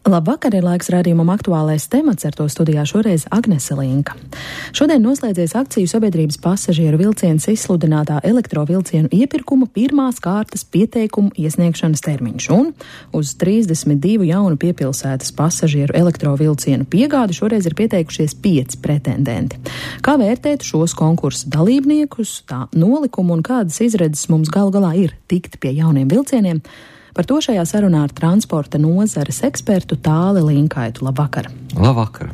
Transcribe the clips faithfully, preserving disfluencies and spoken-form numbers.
Labvakar, ir laiks raidījumam Aktuālais temats, ar to studijā šoreiz Agnese Linka. Šodien noslēdzies akciju sabiedrības pasažieru vilciens izsludinātā elektrovilcienu iepirkuma pirmās kārtas pieteikumu iesniegšanas termiņš, un uz trīsdesmit divu jaunu piepilsētas pasažieru elektrovilcienu piegādi šoreiz ir pieteikušies pieci pretendenti. Kā vērtēt šos konkursu dalībniekus, tā nolikumu un kādas izredzes mums galu galā ir tikt pie jauniem vilcieniem? Par to šajā sarunā ar transporta nozares ekspertu Tāli Linkaitu. Labvakar! Labvakar!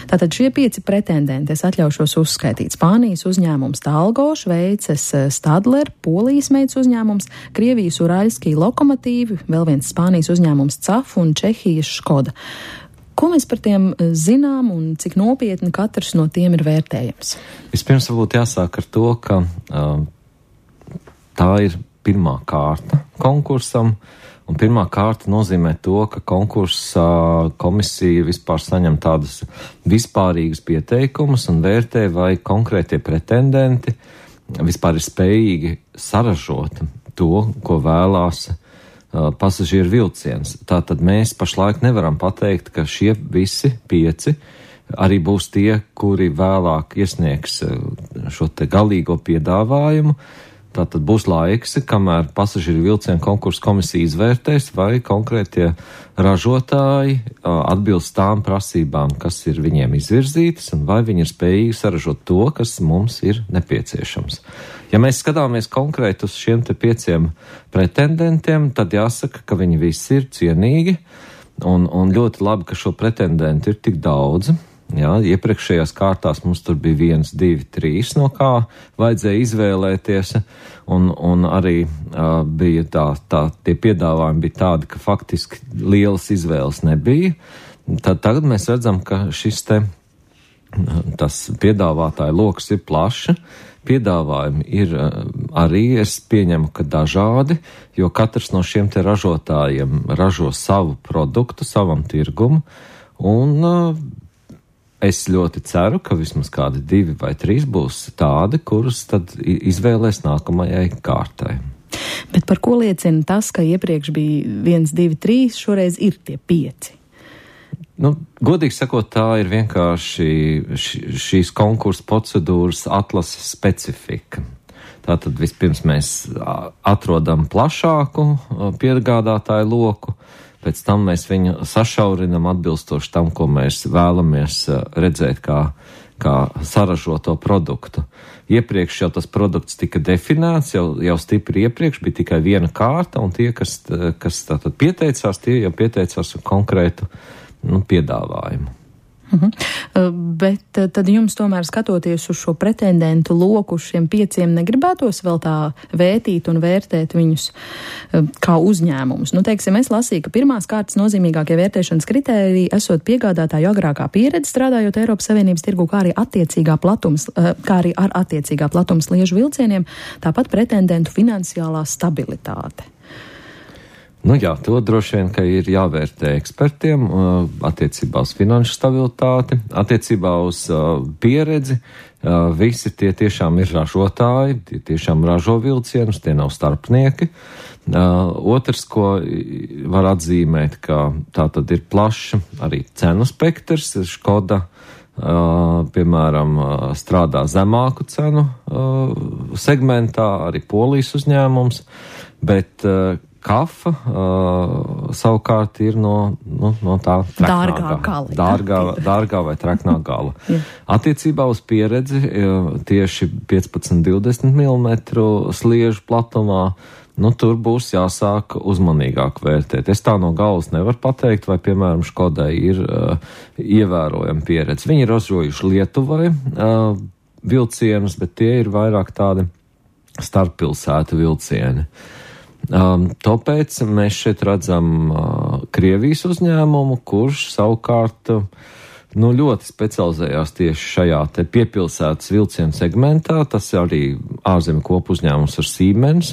Tātad šie pieci pretendenti, es atļaušos uzskaitīt: Spānijas uzņēmums Talgo, Šveices Stadler, Polijas meitas uzņēmums, Krievijas Uraļskī Lokomotīvi, vēl viens Spānijas uzņēmums C A F un Čehijas Škoda. Ko mēs par tiem zinām un cik nopietni katrs no tiem ir vērtējams? Vispirms varbūt jāsāk ar to, ka uh, tā ir pirmā kārta konkursam, un pirmā kārta nozīmē to, ka konkursa komisija vispār saņem tādus vispārīgus pieteikumus un vērtē, vai konkrētie pretendenti vispār ir spējīgi saražot to, ko vēlās uh, pasažieru vilciens. Tātad mēs pašlaik nevaram pateikt, ka šie visi pieci arī būs tie, kuri vēlāk iesniegs uh, šo te galīgo piedāvājumu. Tātad būs laiks, kamēr pasažieru vilcienu konkursu komisija izvērtēs, vai konkrētie ražotāji atbilst tām prasībām, kas ir viņiem izvirzītas, un vai viņi ir spējīgi saražot to, kas mums ir nepieciešams. Ja mēs skatāmies konkrēti uz šiem te pieciem pretendentiem, tad jāsaka, ka viņi visi ir cienīgi, un, un ļoti labi, ka šo pretendentu ir tik daudz. Jā, iepriekšējās kārtās mums tur bija viens, divi, trīs, no kā vajadzēja izvēlēties, un, un arī uh, bija tā, tā, tie piedāvājumi bija tādi, ka faktiski lielas izvēles nebija. Tad tagad mēs redzam, ka šis te, tas piedāvātāju loks ir plaša, piedāvājumi ir uh, arī, es pieņemu, ka dažādi, jo katrs no šiem te ražotājiem ražo savu produktu, savam tirgumu, un uh, es ļoti ceru, ka vismaz kādi divi vai trīs būs tādi, kurus tad izvēlēs nākamajai kārtai. Bet par ko liecina tas, ka iepriekš bija viens, divi, trīs, šoreiz ir tie pieci? Nu, godīgi sakot, tā ir vienkārši š, šīs konkursa procedūras atlases specifika. Tātad vispirms mēs atrodam plašāku piegādātāju loku, pēc tam mēs viņu sašaurinam atbilstoši tam, ko mēs vēlamies redzēt kā, kā saražoto produktu. Iepriekš jau tas produkts tika definēts, jau, jau stipri iepriekš bija tikai viena kārta, un tie, kas, kas tātad pieteicās, tie jau pieteicās ar konkrētu nu, piedāvājumu. Uh-huh. Bet tad jums tomēr skatoties uz šo pretendentu loku, uz šiem pieciem, negribētos vēl tā vērtīt un vērtēt viņus kā uzņēmumus. Nu, teiksim, es lasīju, ka pirmās kārtas nozīmīgākie vērtēšanas kritēriji esot piegādātāju agrākā pieredze strādājot Eiropas Savienības tirgu, kā arī attiecīgā platums, kā arī ar attiecīgā platums sliežu vilcieniem, tāpat pretendentu finansiālā stabilitāte. Nu jā, to droši vien, ka ir jāvērtē ekspertiem uh, attiecībā uz finanšu stabilitāti, attiecībā uz uh, pieredzi. Uh, visi tie tiešām ir ražotāji, tie tiešām ražo vilcienus, tie nav starpnieki. Uh, otrs, ko var atzīmēt, ka tā tad ir plaša arī cenu spektrs. Škoda, uh, piemēram, uh, strādā zemāku cenu uh, segmentā, arī Polijas uzņēmums, bet uh, Kafa uh, savukārt ir no, nu, no tā dārgā gala. Dārgā, dārgā vai treknā gala. Attiecībā uz pieredzi tieši piecpadsmit divdesmit milimetru sliežu platumā, nu tur būs jāsāk uzmanīgāk vērtēt. Es tā no galvas nevaru pateikt, vai, piemēram, Škodai ir uh, ievērojama pieredze. Viņi ir ražojuši Lietuvai uh, vilcienus, bet tie ir vairāk tādi starppilsētu vilcieni. Um, tāpēc mēs šeit redzam uh, Krievijas uzņēmumu, kurš savukārt uh, nu, ļoti specializējās tieši šajā te piepilsētas vilcienu segmentā. Tas arī ārzemju kopu uzņēmums ar Siemens,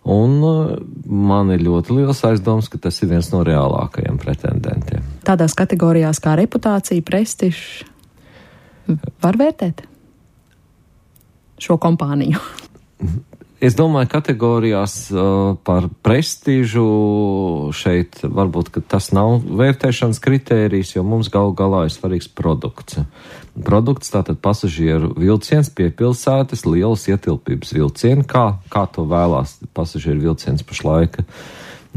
un uh, man ir ļoti liels aizdoms, ka tas ir viens no reālākajiem pretendentiem. Tādās kategorijās kā reputācija, prestižs, var vērtēt šo kompāniju? Es domāju, kategorijās uh, par prestīžu šeit varbūt, ka tas nav vērtēšanas kritērijs, jo mums galu galā ir svarīgs produkts. Produkts, tātad pasažieru vilciens pie pilsētas, lielas ietilpības vilcieni, kā, kā to vēlās pasažieru vilciens pašlaika.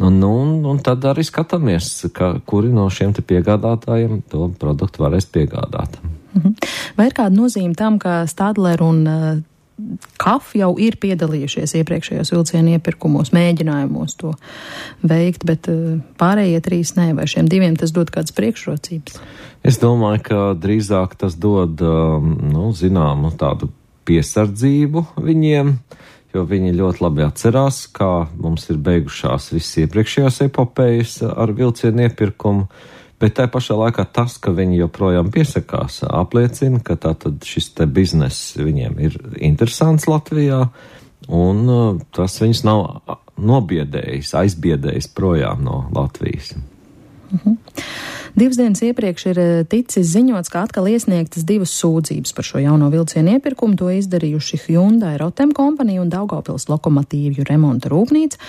Un, un, un tad arī skatāmies, ka, kuri no šiem te piegādātājiem to produktu varēs piegādāt. Vai ir kāda nozīme tam, ka Stadler un uh, K A F jau ir piedalījušies iepriekšējos vilcienu iepirkumos, mēģinājumos to veikt, bet uh, pārējie trīs nē, vai šiem diviem tas dod kādas priekšrocības? Es domāju, ka drīzāk tas dod, um, nu, zināmu tādu piesardzību viņiem, jo viņi ļoti labi atcerās, kā mums ir beigušās visas iepriekšējās epopējas ar vilcienu iepirkumu. Bet tā pašā laikā tas, ka viņi joprojām piesakās, apliecina, ka tātad šis te bizness viņiem ir interesants Latvijā, un uh, tas viņus nav nobiedējis, aizbiedējis projām no Latvijas. Mhm. Divas dienas iepriekš ir ticis ziņots, ka atkal iesniegtas divas sūdzības par šo jauno vilcienu iepirkumu. To izdarījuši Hyundai Rotem kompanija un Daugavpils lokomotīvju remonta rūpnīca.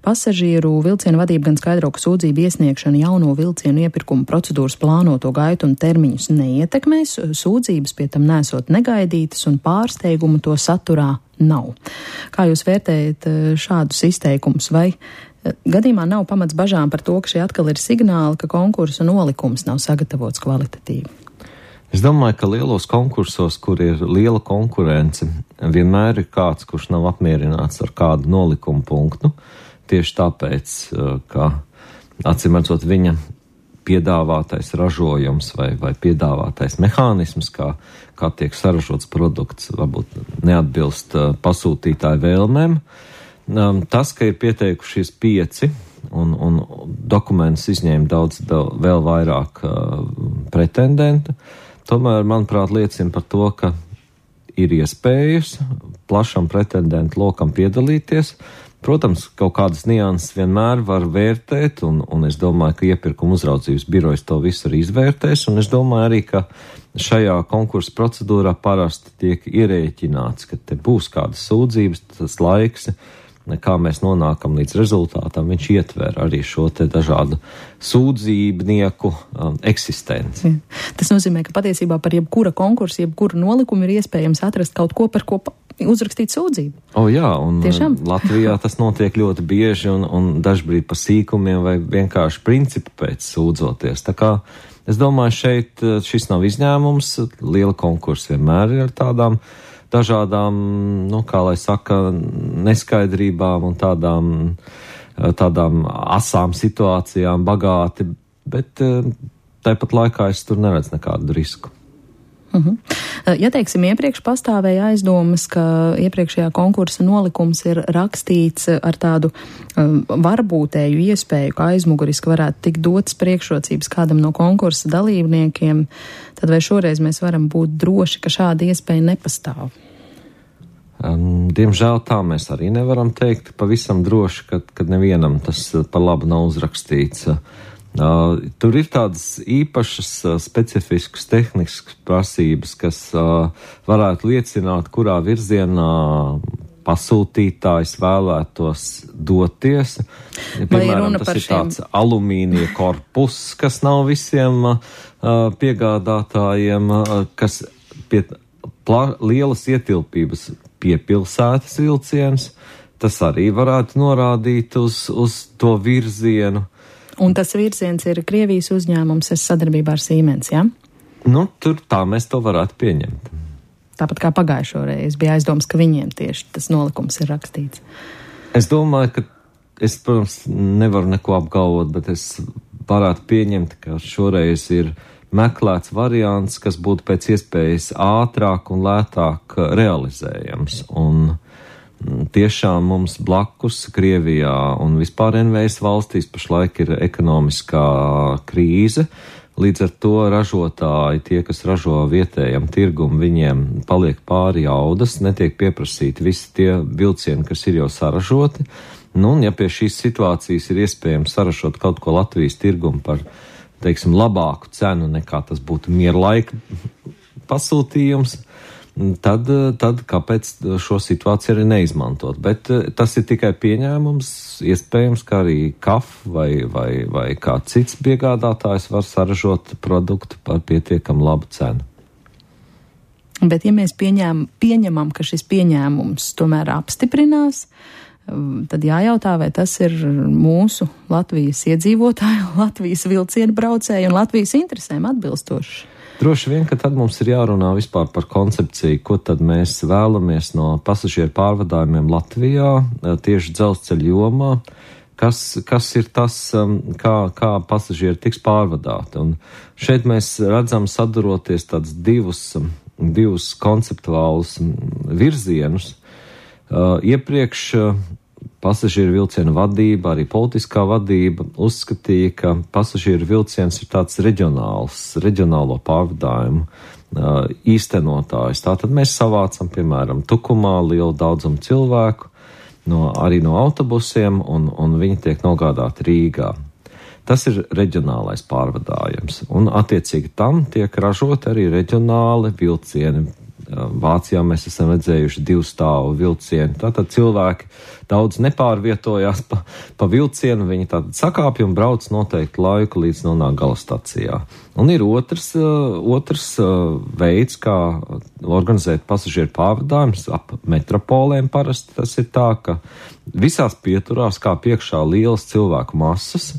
Pasažieru vilcienu vadība gan skaidro, ka sūdzību iesniegšana jauno vilcienu iepirkumu procedūras plānoto gaitu un termiņus neietekmēs, sūdzības pie tam nesot negaidītas un pārsteigumu to saturā nav. Kā jūs vērtējat šādus izteikumus, vai gadījumā nav pamats bažām par to, ka šie atkal ir signāli, ka konkursu nolikums nav sagatavots kvalitatīvi? Es domāju, ka lielos konkursos, kur ir liela konkurence, vienmēr ir kāds, kurš nav apmierināts ar kādu nolikumu punktu. Tieši tāpēc, ka acīmredzot viņa piedāvātais ražojums vai, vai piedāvātais mehānisms, kā, kā tiek saražots produkts, varbūt neatbilst pasūtītāju vēlmēm. Tas, ka ir pieteikušies pieci un, un dokumentus izņēma daudz, daudz vēl vairāk uh, pretendentu, tomēr, manuprāt, liecina par to, ka ir iespējas plašam pretendentu lokam piedalīties. Protams, kaut kādas nianses vienmēr var vērtēt, un, un es domāju, ka iepirkuma uzraudzības birojas to visu arī izvērtēs, un es domāju arī, ka šajā konkursa procedūrā parasti tiek ierēķināts, ka te būs kādas sūdzības, tas laiks, kā mēs nonākam līdz rezultātam, viņš ietver arī šo te dažādu sūdzībnieku um, eksistenci. Tas nozīmē, ka patiesībā par jebkura konkursa, jebkuru nolikumu ir iespējams atrast kaut ko, par ko uzrakstīt sūdzību. O jā, un Tiešām? Latvijā tas notiek ļoti bieži un, un dažbrīd pa sīkumiem vai vienkārši principu pēc sūdzoties. Tā kā es domāju, šeit šis nav izņēmums, liela konkursa vienmēr ir ar tādām dažādām, nu, kā lai saka, neskaidrībām un tādām, tādām asām situācijām bagāti, bet tāpat laikā es tur neredzu nekādu risku. Uh-huh. Ja, teiksim, iepriekš pastāvēja aizdomas, ka iepriekšējā konkursa nolikums ir rakstīts ar tādu um, varbūtēju iespēju, ka aizmuguriski varētu tikt dotas priekšrocības kādam no konkursa dalībniekiem, tad vai šoreiz mēs varam būt droši, ka šāda iespēja nepastāv? Um, diemžēl tā mēs arī nevaram teikt pavisam droši, ka, ka nevienam tas par labu nav uzrakstīts. Uh, tur ir tādas īpašas, uh, specifiskas tehniskas prasības, kas uh, varētu liecināt, kurā virzienā pasūtītājs vēlētos doties. Piemēram, tas ir šiem... tāds alumīnija korpus, kas nav visiem uh, piegādātājiem, uh, kas pie pla- lielas ietilpības pie pilsētas vilciens. Tas arī varētu norādīt uz, uz to virzienu. Un tas virziens ir Krievijas uzņēmums sadarbībā ar Siemens, jā? Ja? Nu, tur tā mēs to varētu pieņemt. Tāpat kā pagājušo reizi bija aizdoms, ka viņiem tieši tas nolikums ir rakstīts. Es domāju, ka es, protams, nevaru neko apgalvot, bet es varētu pieņemt, ka šoreiz ir meklēts variants, kas būtu pēc iespējas ātrāk un lētāk realizējams. Un tiešām mums blakus Krievijā un vispār N V S valstīs pašlaik ir ekonomiskā krīze. Līdz ar to ražotāji, tie, kas ražo vietējam tirgumu, viņiem paliek pāri jaudas, netiek pieprasīti visi tie vilcieni, kas ir jau saražoti. Nu, un ja pie šīs situācijas ir iespējams saražot kaut ko Latvijas tirgumu par, teiksim, labāku cenu nekā tas būtu mierlaika pasūtījums, tad, tad kāpēc šo situāciju arī neizmantot? Bet tas ir tikai pieņēmums, iespējams, ka arī K A F vai, vai, vai kā cits piegādātājs var saražot produktu par pietiekam labu cenu. Bet ja mēs pieņēm, pieņemam, ka šis pieņēmums tomēr apstiprinās, tad jājautā, vai tas ir mūsu Latvijas iedzīvotāju, Latvijas vilcienu braucēju un Latvijas interesēm atbilstoši. Droši vien, ka tad mums ir jārunā vispār par koncepciju, ko tad mēs vēlamies no pasažieru pārvadājumiem Latvijā, tieši dzelzceļa jomā, kas, kas ir tas, kā, kā pasažieri tiks pārvadāti. Un šeit mēs redzam saduroties tādus divus, divus konceptuālus virzienus. Uh, iepriekš uh, pasažieru vilcienu vadība, arī politiskā vadība uzskatīja, ka pasažieru vilciens ir tāds reģionāls, reģionālo pārvadājumu uh, īstenotājs. Tātad mēs savācam, piemēram, Tukumā lielu daudzumu cilvēku, no, arī no autobusiem, un, un viņi tiek nogādāti Rīgā. Tas ir reģionālais pārvadājums, un attiecīgi tam tiek ražot arī reģionāli vilcieni. Vācijā mēs esam redzējuši divu stāvu vilcienu. Tātad cilvēki daudz nepārvietojās pa, pa vilcienu, viņi tātad sakāpja un brauc noteikti laiku, līdz nonāk galastacijā. Un ir otrs, otrs veids, kā organizēt pasažieru pārvadājumus ap metropolēm parasti. Tas ir tā, ka visās pieturās, kā priekšā lielas cilvēku masas,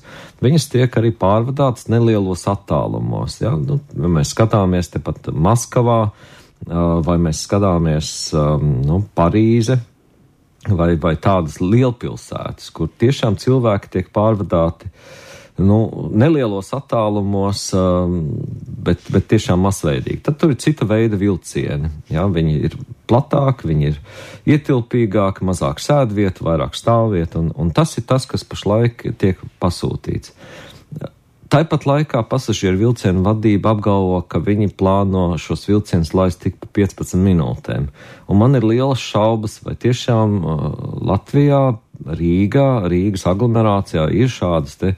viņas tiek arī pārvadātas nelielos attālumos. Ja? Nu, mēs skatāmies tepat Maskavā, vai mēs skatāmies nu, Parīze vai, vai tādas lielpilsētas, kur tiešām cilvēki tiek pārvadāti nu, nelielos attālumos, bet, bet tiešām masveidīgi. Tad tur ir cita veida vilcieni. Ja? Viņi ir platāki, viņi ir ietilpīgāki, mazāk sēdvietu, vairāk stāvvietu, un, un tas ir tas, kas pašlaik tiek pasūtīts. Tāpat laikā pasažieru vilcienu vadība apgalvo, ka viņi plāno šos vilcienus laist tik pa piecpadsmit minūtēm. Un man ir lielas šaubas, vai tiešām uh, Latvijā, Rīgā, Rīgas aglomerācijā ir šādas te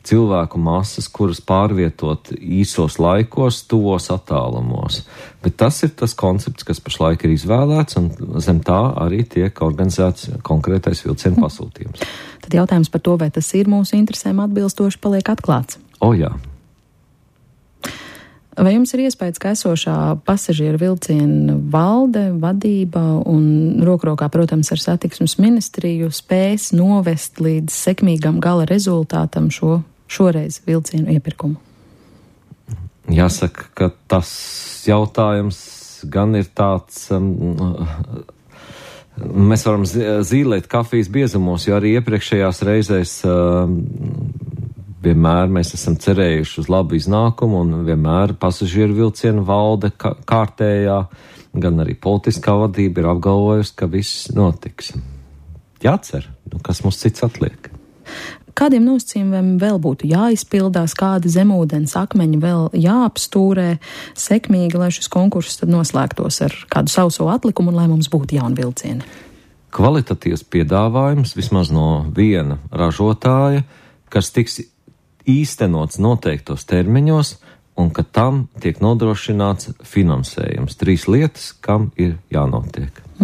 cilvēku masas, kuras pārvietot īsos laikos, tuvos attālumos. Bet tas ir tas koncepts, kas pašlaik ir izvēlēts, un zem tā arī tiek organizēts konkrētais vilcienu pasūtījums. Tad jautājums par to, vai tas ir mūsu interesēm atbilstoši, paliek atklāts. O, jā. Vai jums ir iespējas, ka esošā pasažieru vilcienu valde, vadība un rokrokā, protams, ar satiksmes ministriju spēs novest līdz sekmīgam gala rezultātam šo šoreiz vilcienu iepirkumu? Jāsaka, ka tas jautājums gan ir tāds... Um, mēs varam zīlēt kafijas biezumos, jo arī iepriekšējās reizēs... Um, Vienmēr mēs esam cerējuši uz labu iznākumu, un vienmēr pasažieru vilcienu valde kārtējā, gan arī politiskā vadība ir apgalvojusi, ka viss notiks. Jācer, nu, kas mums cits atliek. Kādiem nosacījumiem vēl būtu jāizpildās, kādi zemūdens akmeņi vēl jāapstūrē sekmīgi, lai šis konkurss tad noslēgtos ar kādu sauso atlikumu un lai mums būtu jauni vilcieni? Kvalitatīvs piedāvājums vismaz no viena ražotāja, kas tiks īstenots noteiktos termiņos un ka tam tiek nodrošināts finansējums. Trīs lietas, kam ir jānotiek.